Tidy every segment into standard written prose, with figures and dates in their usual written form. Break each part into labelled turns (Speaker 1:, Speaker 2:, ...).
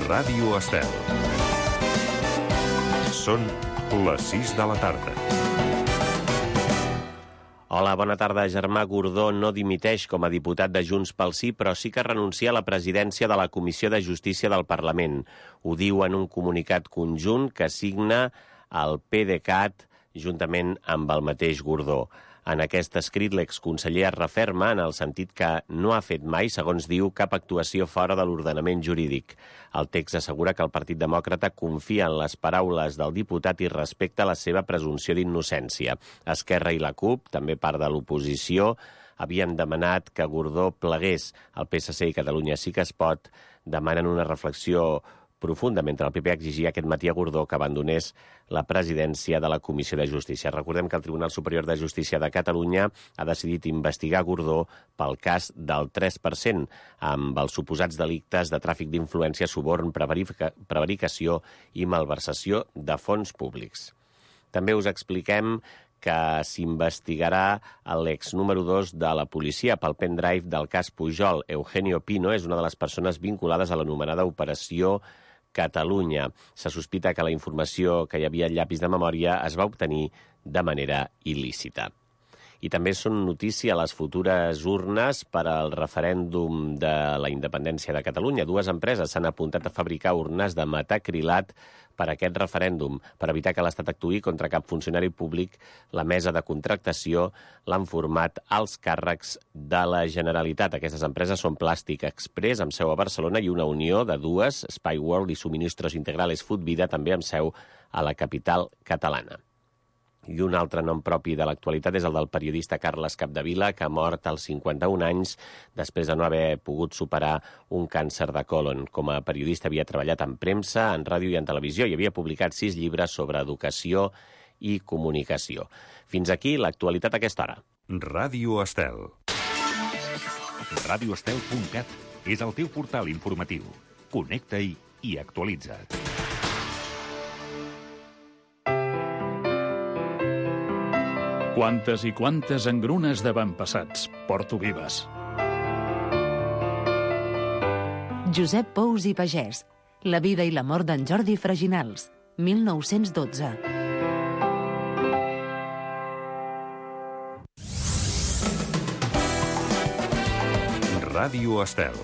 Speaker 1: Ràdio Estel. Són les 6 de la tarda.
Speaker 2: Hola, bona tarda. Germà Gordó no dimiteix com a diputat de Junts pel Sí, però sí que renuncia a la presidència de la Comissió de Justícia del Parlament. Ho diu en un comunicat conjunt que signa el PDeCAT juntament amb el mateix Gordó. En aquest escrit, l'exconseller es referma en el sentit que no ha fet mai, segons diu, cap actuació fora de l'ordenament jurídic. El text assegura que el Partit Demòcrata confia en les paraules del diputat i respecta la seva presumpció d'innocència. Esquerra i la CUP, també part de l'oposició, havien demanat que Gordó plegués. El PSC i Catalunya Sí que es pot demanen una reflexió profunda, mentre el PP exigia aquest matí a Gordó que abandonés la presidència de la Comissió de Justícia. Recordem que el Tribunal Superior de Justícia de Catalunya ha decidit investigar Gordó pel cas del 3%, amb els suposats delictes de tràfic d'influència, suborn, prevaricació i malversació de fons públics. També us expliquem que s'investigarà l'ex número 2 de la policia pel pendrive del cas Pujol. Eugenio Pino és una de les persones vinculades a l'anomenada Operació Catalunya. Se sospita que la informació que hi havia al llapis de memòria es va obtenir de manera il·lícita. I també són notícia les futures urnes per al referèndum de la independència de Catalunya. Dues empreses s'han apuntat a fabricar urnes de metacrilat per a aquest referèndum. Per evitar que l'Estat actuï contra cap funcionari públic, la mesa de contractació l'han format als càrrecs de la Generalitat. Aquestes empreses són Plàstic Express, amb seu a Barcelona, i una unió de dues, Spy World i Suministros Integrales Food Vida, també amb seu a la capital catalana. I un altre nom propi de l'actualitat és el del periodista Carles Capdevila, que ha mort als 51 anys després de no haver pogut superar un càncer de còlon. Com a periodista havia treballat en premsa, en ràdio i en televisió i havia publicat 6 llibres sobre educació i comunicació. Fins aquí l'actualitat a aquesta hora.
Speaker 1: Ràdio Estel.
Speaker 3: radioestel.cat és el teu portal informatiu. Connecta-hi i actualitza't.
Speaker 4: Quantes i quantes engrunes d'avantpassats porto vives.
Speaker 5: Josep Pous i Pagès. La vida i la mort d'en Jordi Freginals. 1912.
Speaker 1: Ràdio Estel.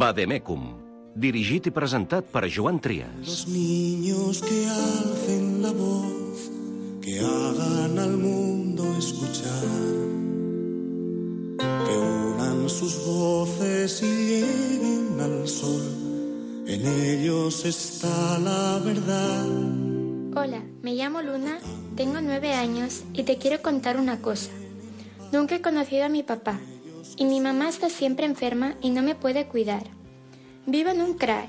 Speaker 3: Vademecum, dirigit i presentat per Joan Trias.
Speaker 6: Los niños que alcen la voz, que hagan al mundo escuchar, que unan sus voces y lleguen al sol, en ellos está la verdad.
Speaker 7: Hola, me llamo Luna, tengo 9 años y te quiero contar una cosa. Nunca he conocido a mi papá y mi mamá está siempre enferma y no me puede cuidar. Vivo en un CRAE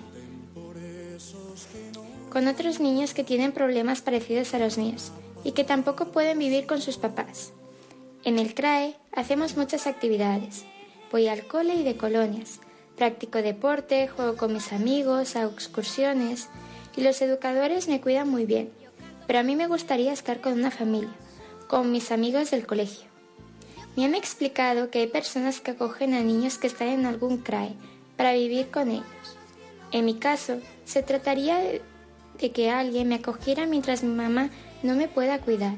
Speaker 7: con otros niños que tienen problemas parecidos a los míos y que tampoco pueden vivir con sus papás. En el CRAE hacemos muchas actividades. Voy al cole y de colonias, practico deporte, juego con mis amigos, hago excursiones y los educadores me cuidan muy bien. Pero a mí me gustaría estar con una familia, con mis amigos del colegio. Me han explicado que hay personas que acogen a niños que están en algún CRAE para vivir con ellos. En mi caso, se trataría de que alguien me acogiera mientras mi mamá no me pueda cuidar.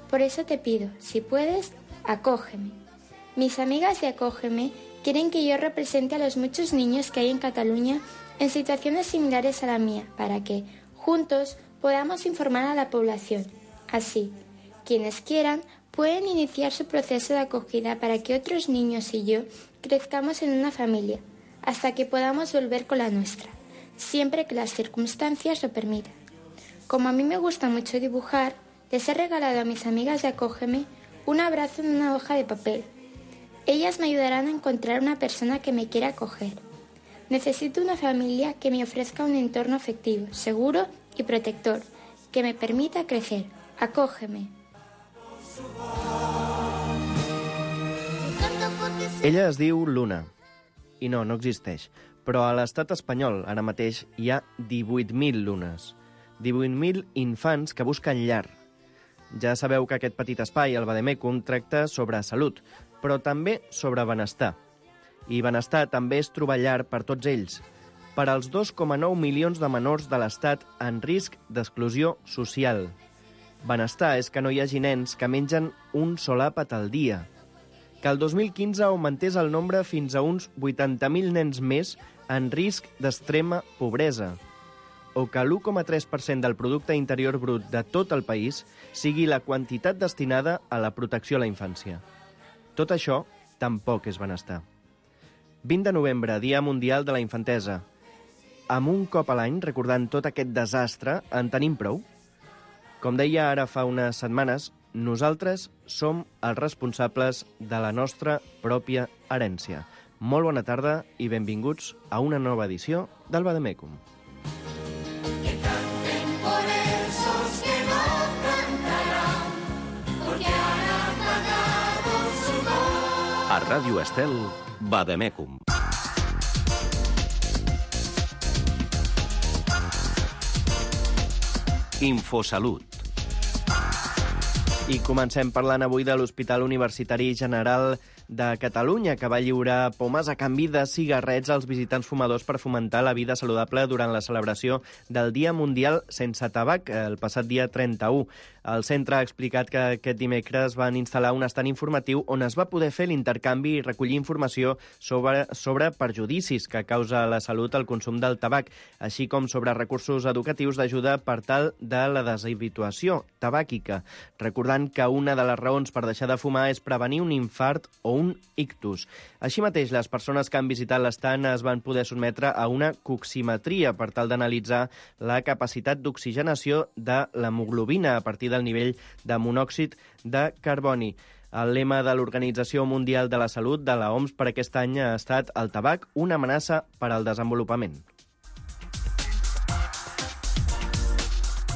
Speaker 7: Por eso te pido, si puedes, acógeme. Mis amigas de Acógeme quieren que yo represente a los muchos niños que hay en Cataluña en situaciones similares a la mía, para que, juntos, podamos informar a la población. Así, quienes quieran pueden iniciar su proceso de acogida para que otros niños y yo crezcamos en una familia, hasta que podamos volver con la nuestra, siempre que las circunstancias lo permitan. Como a mí me gusta mucho dibujar, les he regalado a mis amigas de Acógeme un abrazo en una hoja de papel. Ellas me ayudarán a encontrar una persona que me quiera acoger. Necesito una familia que me ofrezca un entorno afectivo, seguro y protector, que me permita crecer. Acógeme.
Speaker 8: Ella es diu Luna. I no existeix. però a l'estat espanyol ara mateix hi ha 18.000 lunes. 18.000 infants que busquen llar. Ja sabeu que aquest petit espai, el Vademecum, tracta sobre salut, però també sobre benestar. I benestar també és trobar llar per tots ells, per als 2,9 milions de menors de l'Estat en risc d'exclusió social. Benestar és que no hi hagi nens que mengen un sol àpat al dia, que el 2015 augmentés el nombre fins a uns 80.000 nens més en risc d'extrema pobresa, o que l'1,3% del producte interior brut de tot el país sigui la quantitat destinada a la protecció a la infància. Tot això tampoc és benestar. 20 de novembre, Dia Mundial de la Infantesa. Amb un cop a l'any, recordant tot aquest desastre, en tenim prou? Com deia ara fa unes setmanes, nosaltres som els responsables de la nostra pròpia herència. Molt bona tarda i benvinguts a una nova edició del Vademecum.
Speaker 3: A Ràdio Estel, Vademecum. Infosalut.
Speaker 8: I comencem parlant avui de l'Hospital Universitari General de Catalunya, que va lliurar pomes a canvi de cigarrets als visitants fumadors per fomentar la vida saludable durant la celebració del Dia Mundial Sense Tabac, el passat dia 31. El centre ha explicat que aquest dimecres van instal·lar un estand informatiu on es va poder fer l'intercanvi i recollir informació sobre perjudicis que causa a la salut el consum del tabac, així com sobre recursos educatius d'ajuda per tal de la deshabituació tabàquica, recordant que una de les raons per deixar de fumar és prevenir un infart o un ictus. Així mateix, les persones que han visitat l'estand es van poder sotmetre a una coximetria per tal d'analitzar la capacitat d'oxigenació de l'hemoglobina a partir del nivell de monòxid de carboni. El lema de l'Organització Mundial de la Salut de la OMS per aquest any ha estat el tabac, una amenaça per al desenvolupament.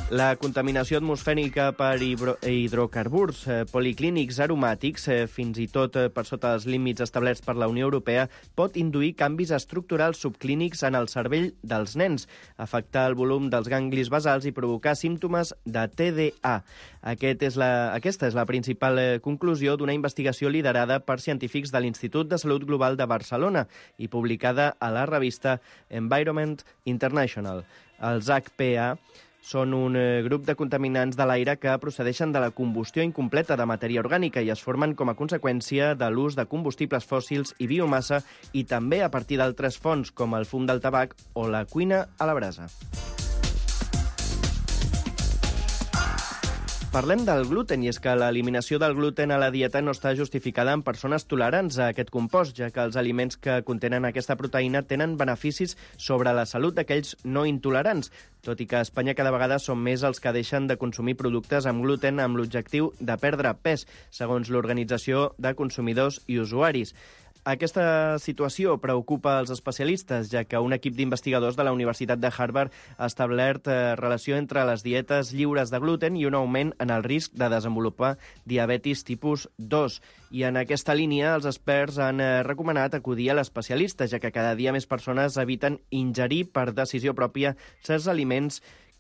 Speaker 8: La contaminació atmosfèrica per hidrocarburs policlínics aromàtics, fins i tot per sota els límits establerts per la Unió Europea, pot induir canvis estructurals subclínics en el cervell dels nens, afectar el volum dels ganglis basals i provocar símptomes de TDA. Aquesta és la principal conclusió d'una investigació liderada per científics de l'Institut de Salut Global de Barcelona i publicada a la revista Environment International. Els HPA són un grup de contaminants de l'aire que procedeixen de la combustió incompleta de matèria orgànica i es formen com a conseqüència de l'ús de combustibles fòssils i biomassa i també a partir d'altres fonts com el fum del tabac o la cuina a la brasa. Parlem del gluten, i és que l'eliminació del gluten a la dieta no està justificada en persones tolerants a aquest compost, ja que els aliments que contenen aquesta proteïna tenen beneficis sobre la salut d'aquells no intolerants, tot i que a Espanya cada vegada són més els que deixen de consumir productes amb gluten amb l'objectiu de perdre pes, segons l'Organització de Consumidors i Usuaris. Aquesta situació preocupa els especialistes, ja que un equip d'investigadors de la Universitat de Harvard ha establert relació entre les dietes lliures de gluten i un augment en el risc de desenvolupar diabetis tipus 2. I en aquesta línia, els experts han recomanat acudir a l'especialista, ja que cada dia més persones eviten ingerir per decisió pròpia certs aliments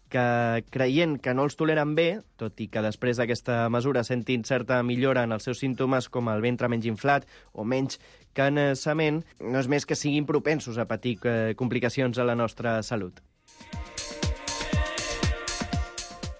Speaker 8: que, creient que no els toleren bé, tot i que després d'aquesta mesura sentin certa millora en els seus símptomes com el ventre menys inflat o menys cansament, no és més que siguin propensos a patir complicacions a la nostra salut.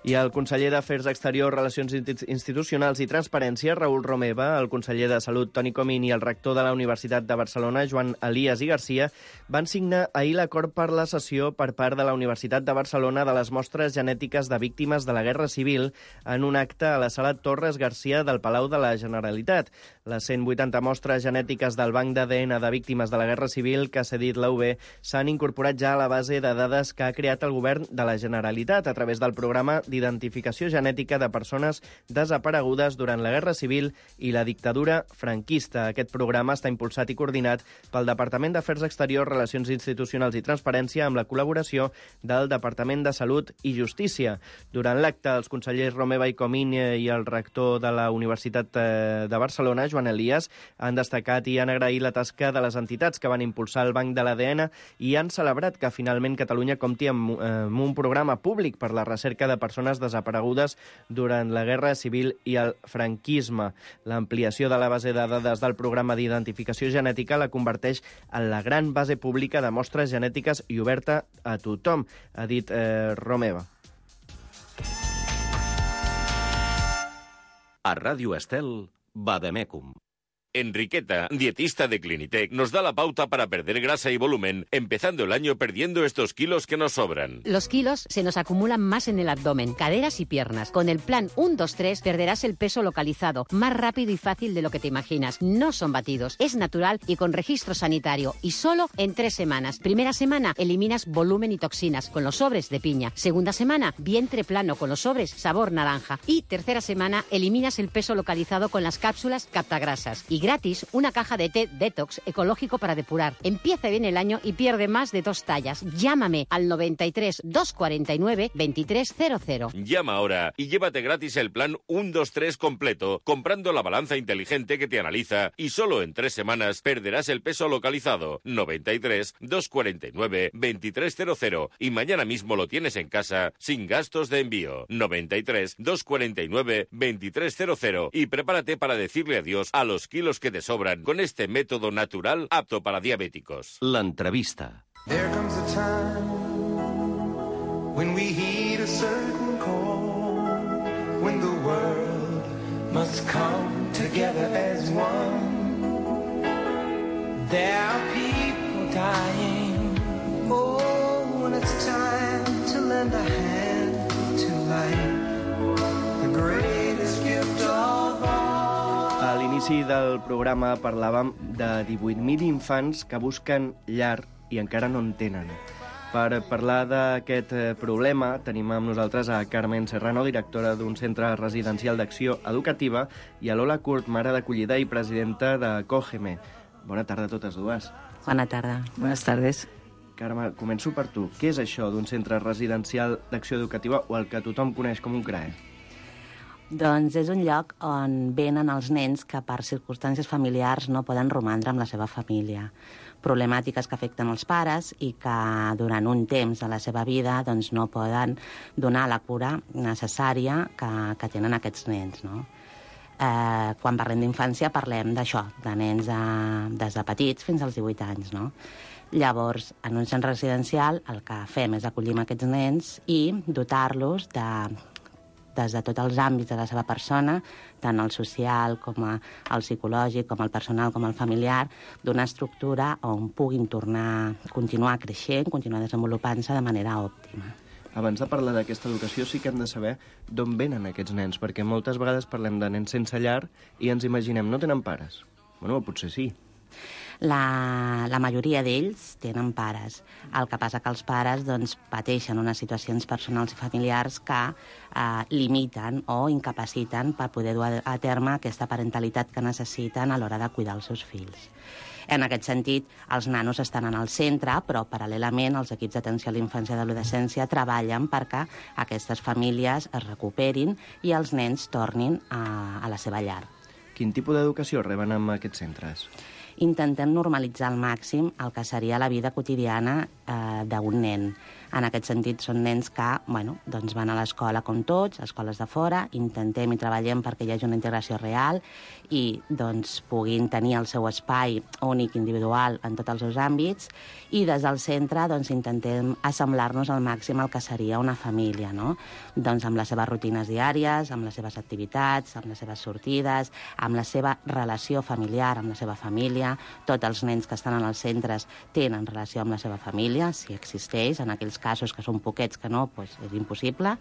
Speaker 8: I el conseller d'Afers Exteriors, Relacions Institucionals i Transparència, Raül Romeva, el conseller de Salut, Toni Comín, i el rector de la Universitat de Barcelona, Joan Elias i Garcia, van signar ahir l'acord per la cessió per part de la Universitat de Barcelona de les mostres genètiques de víctimes de la Guerra Civil en un acte a la sala Torres Garcia del Palau de la Generalitat. Les 180 mostres genètiques del Banc d'ADN de víctimes de la Guerra Civil que ha cedit la UB s'han incorporat ja a la base de dades que ha creat el govern de la Generalitat a través del programa d'identificació genètica de persones desaparegudes durant la Guerra Civil i la dictadura franquista. Aquest programa està impulsat i coordinat pel Departament d'Afers Exteriors, Relacions Institucionals i Transparència amb la col·laboració del Departament de Salut i Justícia. Durant l'acte, els consellers Romeva i Comín i el rector de la Universitat de Barcelona, Joan Elias, han destacat i han agraït la tasca de les entitats que van impulsar el Banc de l'ADN i han celebrat que finalment Catalunya compti amb un programa públic per la recerca de persones desaparegudes durant la Guerra Civil i el franquisme. L'ampliació de la base de dades del programa d'identificació genètica la converteix en la gran base pública de mostres genètiques i oberta a tothom, ha dit Romeva.
Speaker 3: A Ràdio Estel, Vademecum.
Speaker 9: Enriqueta, dietista de Clinitec, nos da la pauta para perder grasa y volumen, empezando el año perdiendo estos kilos que nos sobran.
Speaker 10: Los kilos se nos acumulan más en el abdomen, caderas y piernas. Con el plan 1-2-3 perderás el peso localizado, más rápido y fácil de lo que te imaginas. No son batidos, es natural y con registro sanitario. Y solo en 3 semanas. Primera semana, eliminas volumen y toxinas con los sobres de piña. Segunda semana, vientre plano con los sobres sabor naranja. Y tercera semana, eliminas el peso localizado con las cápsulas captagrasas. Y gratis, una caja de té detox ecológico para depurar. Empieza bien el año y pierde más de 2 tallas. Llámame al 93 249 2300.
Speaker 9: Llama ahora y llévate gratis el plan 1-2-3 completo, comprando la balanza inteligente que te analiza y solo en 3 semanas perderás el peso localizado. 93 249 2300 y mañana mismo lo tienes en casa sin gastos de envío. 93 249 2300 y prepárate para decirle adiós a los kilos que te sobran con este método natural apto para diabéticos.
Speaker 3: L'entrevista.
Speaker 6: There comes a time when we heed a certain call, when the world must come together as one. There are people dying. Oh, when it's time to lend a hand to life, the greatest gift of all.
Speaker 8: A l'inici del programa parlàvem de 18.000 infants que busquen llar i encara no en tenen. Per parlar d'aquest problema tenim amb nosaltres a Carmen Serrano, directora d'un centre residencial d'acció educativa, i a Lola Curt, mare d'acollida i presidenta de Cógeme. Bona tarda a totes dues.
Speaker 11: Bona tarda. Buenas tardes.
Speaker 8: Carme, començo per tu. Què és això d'un centre residencial d'acció educativa o el que tothom coneix com un CRAE?
Speaker 11: Doncs és un lloc on venen els nens que per circumstàncies familiars no poden romandre amb la seva família. Problemàtiques que afecten els pares i que durant un temps de la seva vida doncs, no poden donar la cura necessària que tenen aquests nens. No? Quan parlem d'infància parlem d'això, de nens des de petits fins als 18 anys. No? Llavors, en un centre residencial el que fem és acollir aquests nens i dotar-los des de tots els àmbits de la seva persona, tant el social com el psicològic, com el personal, com el familiar, d'una estructura on puguin continuar creixent, continuar desenvolupant-se de manera òptima.
Speaker 8: Abans de parlar d'aquesta educació sí que hem de saber d'on venen aquests nens, perquè moltes vegades parlem de nens sense llar i ens imaginem, no tenen pares. Bueno, potser sí.
Speaker 11: La majoria d'ells tenen pares. El que passa que els pares doncs, pateixen unes situacions personals i familiars que limiten o incapaciten per poder dur a terme aquesta parentalitat que necessiten a l'hora de cuidar els seus fills. En aquest sentit, els nanos estan en el centre, però paral·lelament els equips d'atenció a la infància i adolescència treballen perquè aquestes famílies es recuperin i els nens tornin a la seva llar.
Speaker 8: Quin tipus d'educació reben en aquests centres?
Speaker 11: Intentem normalitzar al màxim el que seria la vida quotidiana d'un nen. En aquest sentit, són nens que doncs van a l'escola com tots, escoles de fora, intentem i treballem perquè hi hagi una integració real i doncs, puguin tenir el seu espai únic, individual, en tots els seus àmbits, i des del centre doncs, intentem assemblar-nos al màxim el que seria una família, no? Doncs amb les seves rutines diàries, amb les seves activitats, amb les seves sortides, amb la seva relació familiar, amb la seva família. Tots els nens que estan en els centres tenen relació amb la seva família, si existeix, en aquells casos que són poquets que no, doncs és impossible,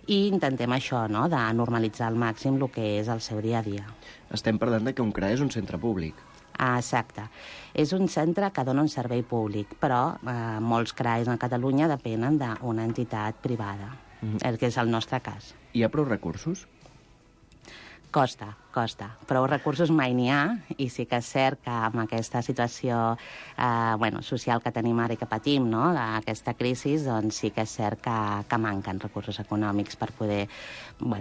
Speaker 11: i intentem això, no?, de normalitzar al màxim el que és el seu dia a dia.
Speaker 8: Estem parlant que un CRAE és un centre públic.
Speaker 11: Exacte. És un centre que dona un servei públic, però molts CRAEs a Catalunya depenen d'una entitat privada. el que és el nostre cas.
Speaker 8: Hi ha prou recursos?
Speaker 11: Costa. Prou recursos mai n'hi ha, i sí que és cert que amb aquesta situació social que tenim ara i que patim, no?, aquesta crisi, doncs sí que és cert que manquen recursos econòmics per poder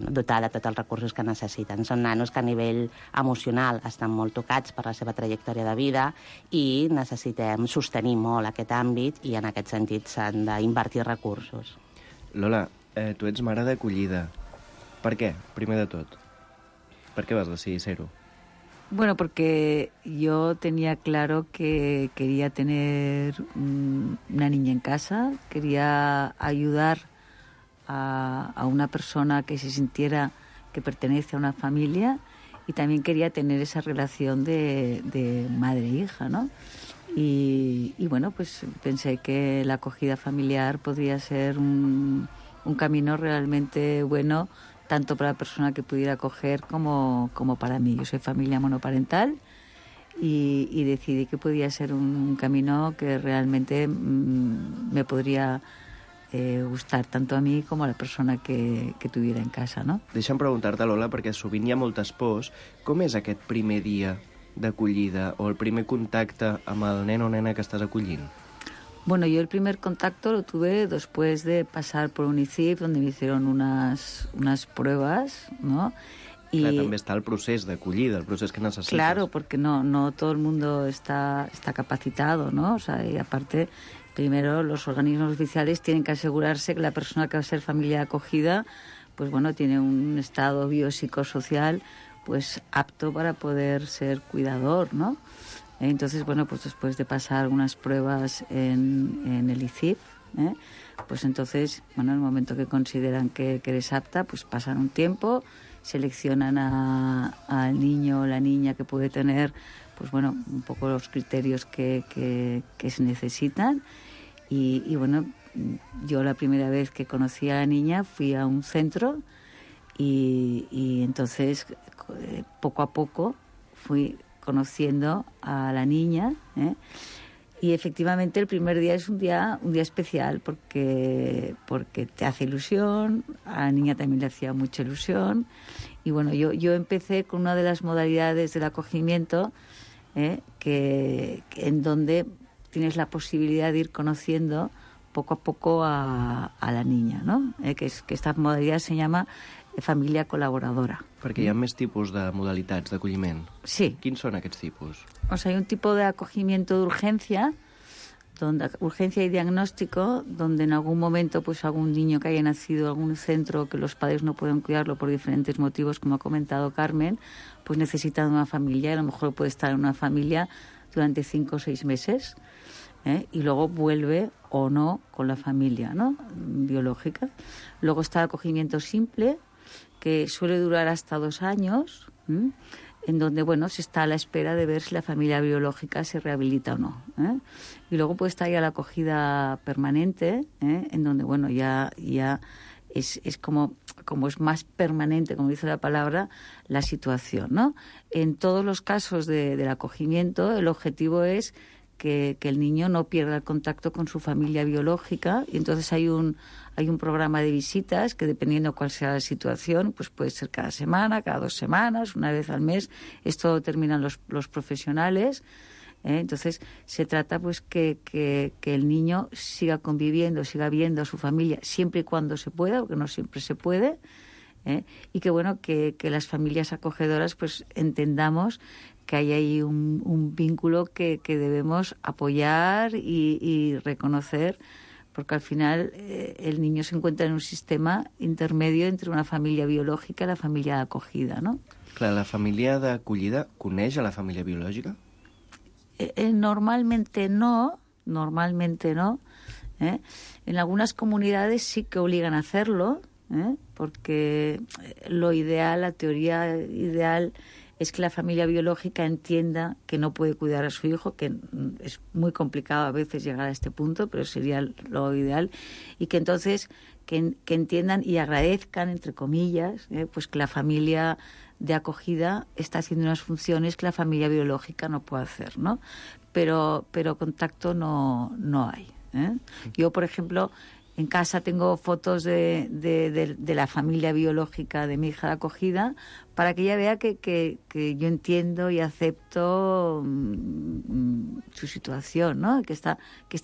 Speaker 11: dotar de tots els recursos que necessiten. Són nanos que a nivell emocional estan molt tocats per la seva trajectòria de vida i necessitem sostenir molt aquest àmbit, i en aquest sentit s'han d'invertir recursos.
Speaker 8: Lola, tu ets mare d'acollida. Per què, primer de tot? ¿Por qué vas a decidir ser?
Speaker 12: Bueno, porque yo tenía claro que quería tener una niña en casa, quería ayudar a una persona que se sintiera que pertenece a una familia, y también quería tener esa relación de madre-hija, ¿no? Y bueno, pues pensé que la acogida familiar podría ser un camino realmente bueno, tanto para la persona que pudiera acoger como para mí. Yo soy familia monoparental y decidí que podía ser un camino que realmente me podría gustar tanto a mí como a la persona que tuviera en casa, no?
Speaker 8: Deixa'm preguntar-te, Lola, perquè sovint hi ha moltes pors. Com és aquest primer dia d'acollida o el primer contacte amb el nen o nena que estàs acollint?
Speaker 12: Bueno, yo el primer contacto lo tuve después de pasar por un ICIF, donde me hicieron unas pruebas, ¿no? Y
Speaker 8: clar, també està el procés d'acollida, el procés que necessites.
Speaker 12: Claro, porque no todo el mundo está capacitado, ¿no? O sea, y aparte, primero los organismos oficiales tienen que asegurarse que la persona que va a ser familia acogida, pues bueno, tiene un estado biopsicosocial pues apto para poder ser cuidador, ¿no? Entonces, bueno, pues después de pasar algunas pruebas en el ICIF, pues entonces, bueno, en el momento que consideran que eres apta, pues pasan un tiempo, seleccionan al niño o la niña que puede tener, pues bueno, un poco los criterios que se necesitan. Y bueno, yo la primera vez que conocí a la niña fui a un centro y entonces poco a poco fui conociendo a la niña, y efectivamente el primer día es un día especial porque te hace ilusión, a la niña también le hacía mucha ilusión, y bueno, yo empecé con una de las modalidades del acogimiento, que en donde tienes la posibilidad de ir conociendo poco a poco a la niña, ¿no? Que esta modalidad se llama família col·laboradora.
Speaker 8: Perquè hi ha més tipus de modalitats d'acolliment.
Speaker 12: Sí.
Speaker 8: Quins son aquests tipus?
Speaker 12: O sea, hay un tipo de acogimiento de urgencia y diagnóstico, donde en algún momento pues algún niño que haya nacido en algún centro que los padres no pueden cuidarlo por diferentes motivos, como ha comentado Carmen, pues necesitan una familia, y a lo mejor puede estar en una familia durante 5 o 6 meses, y luego vuelve o no con la familia, ¿no?, biológica. Luego está el acogimiento simple, que suele durar hasta 2 años, en donde, bueno, se está a la espera de ver si la familia biológica se rehabilita o no. Y luego puede estar ya la acogida permanente, en donde, bueno, ya es como es más permanente, como dice la palabra, la situación, ¿no? En todos los casos del acogimiento, el objetivo es que el niño no pierda el contacto con su familia biológica, y entonces hay un programa de visitas que, dependiendo cuál sea la situación, pues puede ser cada semana, cada 2 semanas, una vez al mes. Esto determinan los profesionales. Entonces se trata pues que el niño siga conviviendo, siga viendo a su familia siempre y cuando se pueda, porque no siempre se puede, y que bueno, que las familias acogedoras pues entendamos que hay ahí un vínculo que debemos apoyar y reconocer, porque al final el niño se encuentra en un sistema intermedio entre una familia biològica i la família acogida, ¿no?
Speaker 8: Clar, la família d'acollida coneix a la família biològica?
Speaker 12: Normalmente no. En algunas comunidades sí que obligan a hacerlo, porque lo ideal, la teoría ideal, es que la familia biológica entienda que no puede cuidar a su hijo, que es muy complicado a veces llegar a este punto, pero sería lo ideal, y que entonces que entiendan y agradezcan, entre comillas, pues que la familia de acogida está haciendo unas funciones que la familia biológica no puede hacer, ¿no? Pero contacto no hay. Yo, por ejemplo, En casa tengo fotos de la familia biológica de mi hija de acogida para que ella vea que yo entiendo y acepto su situación, ¿no? Que está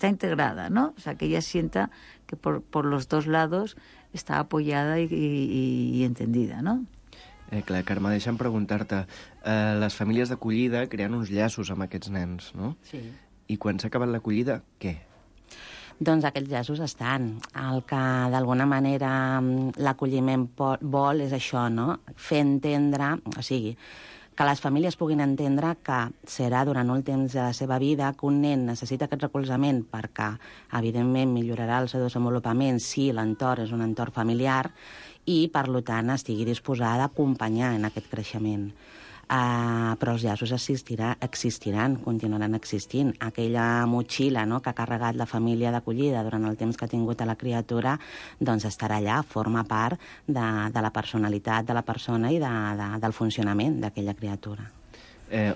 Speaker 12: integrada, ¿no? O sea, que ella sienta que por los dos lados està apoyada i entendida, no?
Speaker 8: Clar, Carme, deixa'm preguntar-te. Les famílies d'acollida creen uns llaços amb aquests nens, no?
Speaker 11: Sí.
Speaker 8: I quan s'ha acabat l'acollida, què?
Speaker 11: Doncs aquests llaços estan. El que d'alguna manera l'acolliment vol és això, no? Fer entendre, o sigui, que les famílies puguin entendre que serà durant un temps de la seva vida que un nen necessita aquest recolzament perquè, evidentment, millorarà el seu desenvolupament si l'entorn és un entorn familiar i, per tant, estigui disposada a acompanyar en aquest creixement. Però els llaços existiran, continuaran existint. Aquella motxilla, no?, que ha carregat la família d'acollida durant el temps que ha tingut a la criatura, doncs estarà allà, forma part de la personalitat de la persona i del funcionament d'aquella criatura.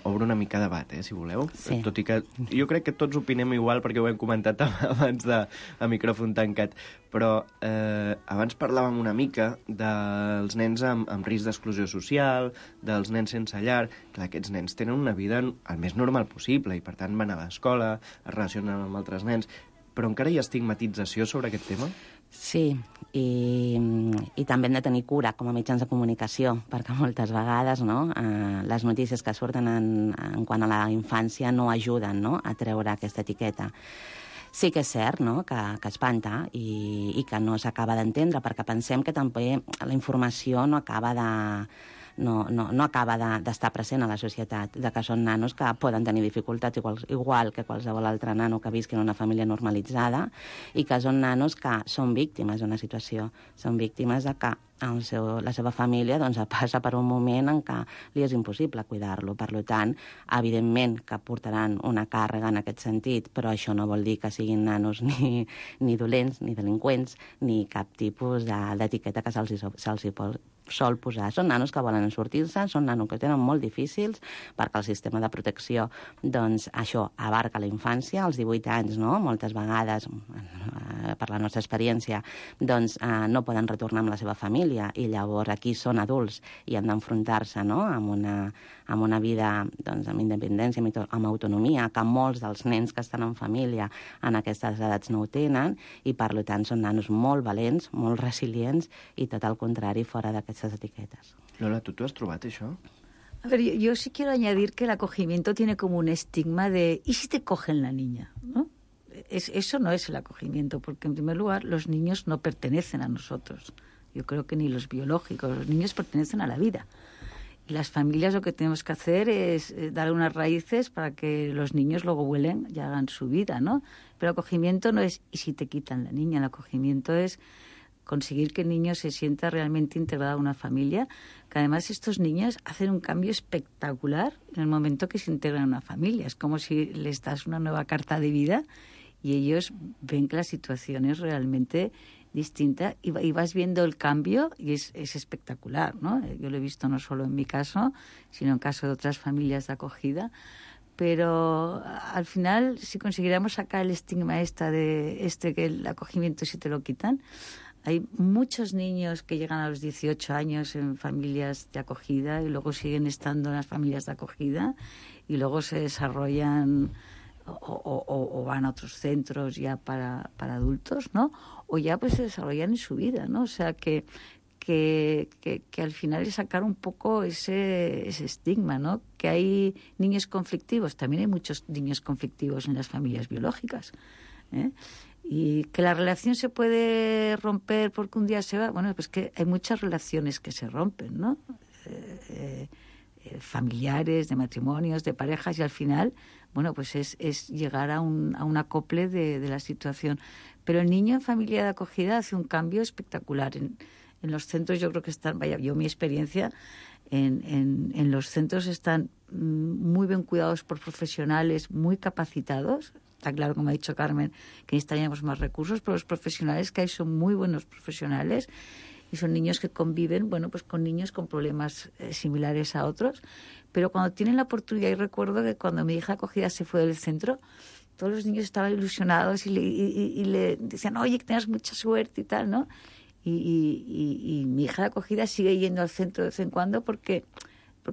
Speaker 8: Obro una mica debat, si voleu.
Speaker 11: Sí.
Speaker 8: Tot i que jo crec que tots opinem igual perquè ho hem comentat abans a micròfon tancat. Però abans parlàvem una mica dels nens amb risc d'exclusió social, dels nens sense llar. Clar, aquests nens tenen una vida el més normal possible i, per tant, van a l'escola, es relacionen amb altres nens. Però encara hi ha estigmatització sobre aquest tema?
Speaker 11: Sí, i també hem de tenir cura com a mitjans de comunicació, perquè moltes vegades, no, les notícies que surten en quant a la infància no ajuden, no, a treure aquesta etiqueta. Sí que és cert, no?, que espanta i que no s'acaba d'entendre, perquè pensem que també la informació no acaba d'estar present a la societat, de que són nanos que poden tenir dificultats igual que qualsevol altre nano que visqui en una família normalitzada i que són nanos que són víctimes d'una situació, són víctimes de que la seva família passa per un moment en què li és impossible cuidar-lo. Per tant, evidentment que portaran una càrrega en aquest sentit, però això no vol dir que siguin nanos ni dolents, ni delinqüents, ni cap tipus d'etiqueta que se'ls sol posar. Són nanos que volen sortir-se, són nanos que tenen molt difícils, perquè el sistema de protecció, doncs, això abarca la infància, als 18 anys, no?, moltes vegades, per la nostra experiència, doncs no poden retornar amb la seva família, i llavors aquí són adults i han d'enfrontar-se, no?, amb una vida, doncs, amb independència, amb autonomia, que molts dels nens que estan en família en aquestes edats no ho tenen, i per tant són nanos molt valents, molt resilients, i tot el contrari fora d'aquestes etiquetes.
Speaker 8: Lola, tu has trobat això?
Speaker 12: A ver, yo sí quiero añadir que el acogimiento tiene como un estigma de ¿y si te cogen la niña?, ¿no? Eso no es el acogimiento, porque en primer lugar los niños no pertenecen a nosotros. Yo creo que ni los biológicos, los niños pertenecen a la vida. Y las familias lo que tenemos que hacer es dar unas raíces para que los niños luego vuelen y hagan su vida, ¿no? Pero el acogimiento no es ¿y si te quitan la niña? El acogimiento es conseguir que el niño se sienta realmente integrado a una familia, que además estos niños hacen un cambio espectacular en el momento que se integran a una familia. Es como si les das una nueva carta de vida y ellos ven que la situación es realmente distinta y vas viendo el cambio y es espectacular, ¿no? Yo lo he visto no solo en mi caso, sino en caso de otras familias de acogida. Pero al final, si consiguiéramos sacar el estigma que el acogimiento si te lo quitan, hay muchos niños que llegan a los 18 años en familias de acogida y luego siguen estando en las familias de acogida y luego se desarrollan o van a otros centros ya para adultos, ¿no? O ya pues se desarrollan en su vida, ¿no? O sea que al final es sacar un poco ese estigma, ¿no? Que hay niños conflictivos, también hay muchos niños conflictivos en las familias biológicas, ¿eh? Y que la relación se puede romper porque un día se va, bueno, pues que hay muchas relaciones que se rompen, ¿no? Familiares, de matrimonios, de parejas, y al final, bueno, pues es llegar a un acople de la situación. Pero el niño en familia de acogida hace un cambio espectacular. En los centros yo creo que están, mi experiencia, en los centros están muy bien cuidados por profesionales muy capacitados. Está claro, como ha dicho Carmen, que necesitaríamos más recursos, pero los profesionales que hay son muy buenos profesionales y son niños que conviven, bueno, pues con niños con problemas similares a otros. Pero cuando tienen la oportunidad, y recuerdo que cuando mi hija acogida se fue del centro, todos los niños estaban ilusionados y le decían, oye, que tengas mucha suerte y tal, ¿no? Y mi hija de acogida sigue yendo al centro de vez en cuando porque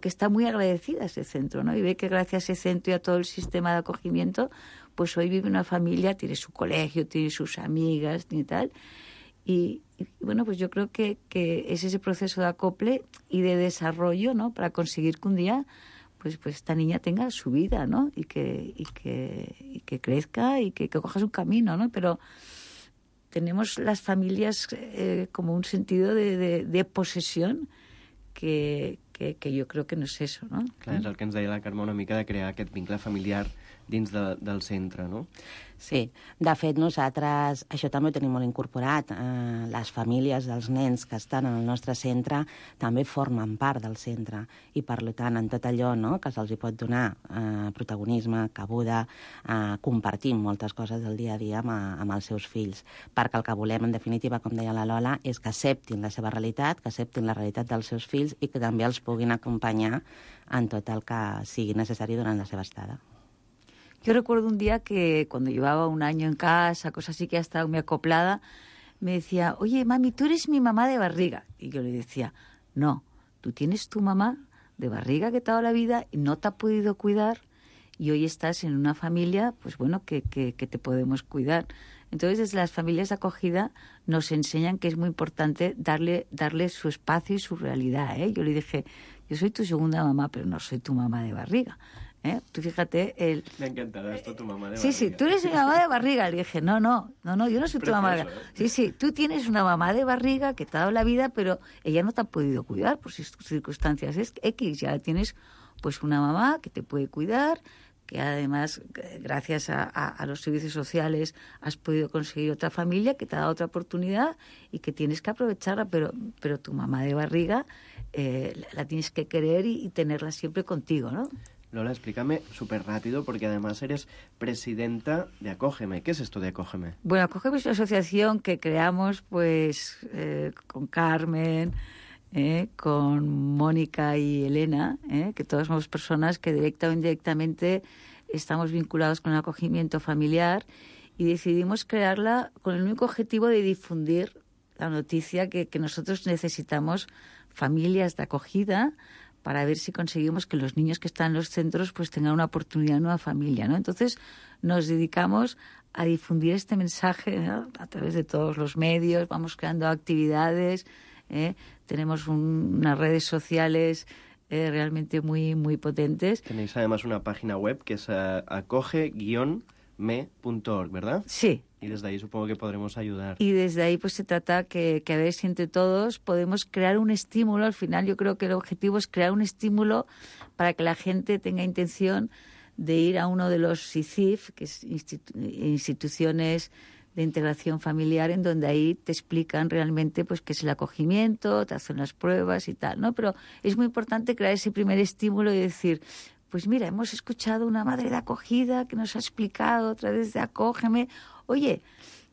Speaker 12: está muy agradecida a ese centro, ¿no? Y ve que gracias a ese centro y a todo el sistema de acogimiento, pues hoy vive una familia, tiene su colegio, tiene sus amigas y tal. Y bueno, pues yo creo que es ese proceso de acople y de desarrollo, ¿no? Para conseguir que un día pues esta niña tenga su vida, ¿no? Y que crezca y que cojas un camino, ¿no? Pero tenemos las familias como un sentido de posesión que jo crec que no és eso, no?
Speaker 8: Clar, és el que ens deia la Carme una mica de crear aquest vincle familiar dins del centre, no?
Speaker 11: Sí, de fet nosaltres això també ho tenim molt incorporat. Les famílies dels nens que estan en el nostre centre també formen part del centre i per tant en tot allò, no, que se'ls pot donar protagonisme, cabuda, compartim moltes coses del dia a dia amb els seus fills, perquè el que volem en definitiva, com deia la Lola, és que acceptin la seva realitat, que acceptin la realitat dels seus fills i que també els puguin acompanyar en tot el que sigui necessari durant la seva estada.
Speaker 12: Yo recuerdo un día que cuando llevaba un año en casa, cosas así, que ya estaba muy acoplada, me decía, oye, mami, tú eres mi mamá de barriga. Y yo le decía, no, tú tienes tu mamá de barriga que te ha dado la vida y no te ha podido cuidar y hoy estás en una familia, pues bueno, que te podemos cuidar. Entonces, desde las familias de acogida nos enseñan que es muy importante darle su espacio y su realidad, ¿eh? Yo le dije, yo soy tu segunda mamá, pero no soy tu mamá de barriga. Tú fíjate...
Speaker 8: Me encantará esto, tu mamá de
Speaker 12: barriga. Sí, tú eres mi mamá de barriga. Le dije, no, yo no soy tu mamá de barriga. Sí, tú tienes una mamá de barriga que te ha dado la vida, pero ella no te ha podido cuidar por sus circunstancias X. Ya tienes pues una mamá que te puede cuidar, que además, gracias a los servicios sociales, has podido conseguir otra familia que te ha dado otra oportunidad y que tienes que aprovecharla, pero tu mamá de barriga la tienes que querer y tenerla siempre contigo, ¿no?
Speaker 8: Lola, explícame súper rápido, porque además eres presidenta de Acógeme. ¿Qué es esto de Acógeme?
Speaker 12: Bueno, Acógeme es una asociación que creamos pues con Carmen, con Mónica y Elena, que todas somos personas que directa o indirectamente estamos vinculados con el acogimiento familiar y decidimos crearla con el único objetivo de difundir la noticia que nosotros necesitamos familias de acogida para ver si conseguimos que los niños que están en los centros pues tengan una oportunidad en una familia, ¿no? Entonces nos dedicamos a difundir este mensaje, ¿no? A través de todos los medios, vamos creando actividades, tenemos unas redes sociales realmente muy, muy potentes.
Speaker 8: Tenéis además una página web que es acoge-me.org, ¿verdad?
Speaker 12: Sí.
Speaker 8: Y desde ahí supongo que podremos ayudar.
Speaker 12: Y desde ahí pues se trata que a ver si entre todos podemos crear un estímulo. Al final yo creo que el objetivo es crear un estímulo para que la gente tenga intención de ir a uno de los ICIF, que es instituciones de integración familiar, en donde ahí te explican realmente pues qué es el acogimiento, te hacen las pruebas y tal, ¿no? Pero es muy importante crear ese primer estímulo y decir, pues mira, hemos escuchado una madre de acogida que nos ha explicado a través de Acógeme. Oye,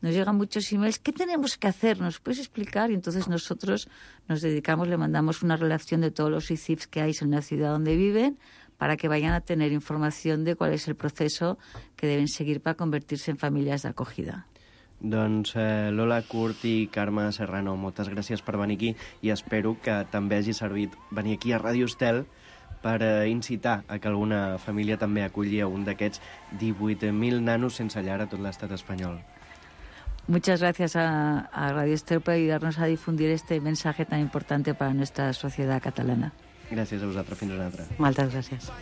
Speaker 12: nos llegan muchos emails, ¿qué tenemos que hacer? ¿Nos puedes explicar? Y entonces nosotros nos dedicamos, le mandamos una relación de todos los ICIFs que hay en la ciudad donde viven para que vayan a tener información de cuál es el proceso que deben seguir para convertirse en familias de acogida.
Speaker 8: Doncs Lola Curt i Carme Serrano, moltes gràcies per venir aquí i espero que també hagi servit venir aquí a Ràdio Estel per incitar a que alguna família també aculli a un d'aquests 18.000 nanos sense llar a tot l'estat espanyol.
Speaker 12: Muchas gracias a Radio Estel por ayudarnos a difundir este mensaje tan importante para nuestra sociedad catalana.
Speaker 8: Gràcies a vosaltres, fins una altra.
Speaker 12: Moltes gràcies.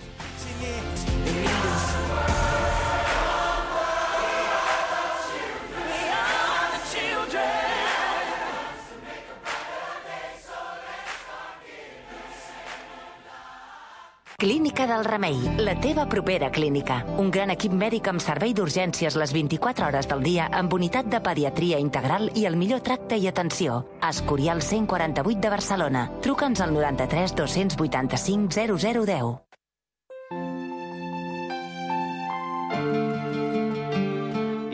Speaker 13: Clínica del Remei, la teva propera clínica. Un gran equip mèdic amb servei d'urgències les 24 hores del dia, amb unitat de pediatria integral i el millor tracte i atenció. Escorial 148 de Barcelona. Truca'ns al 93 285 0010.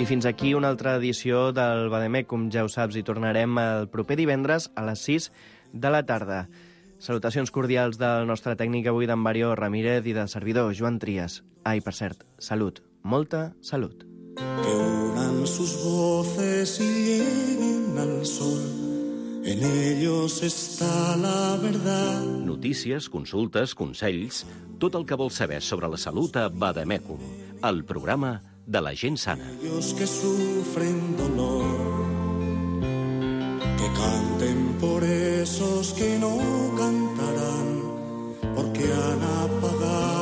Speaker 8: I fins aquí una altra edició del Bademecum, ja ho saps, i tornarem el proper divendres a les 6 de la tarda. Salutacions cordials del nostre tècnic avui, d'en Mario Ramírez, i del servidor Joan Trias. Ai, per cert, salut, molta salut.
Speaker 14: que unan sus voces y lleguen al sol. En ellos está la verdad.
Speaker 3: Notícies, consultes, consells, tot el que vols saber sobre la salut a Vademecum, el programa de la gent sana.
Speaker 14: Ellos que sufren dolor, que canten por esos que no cantarán, porque han apagado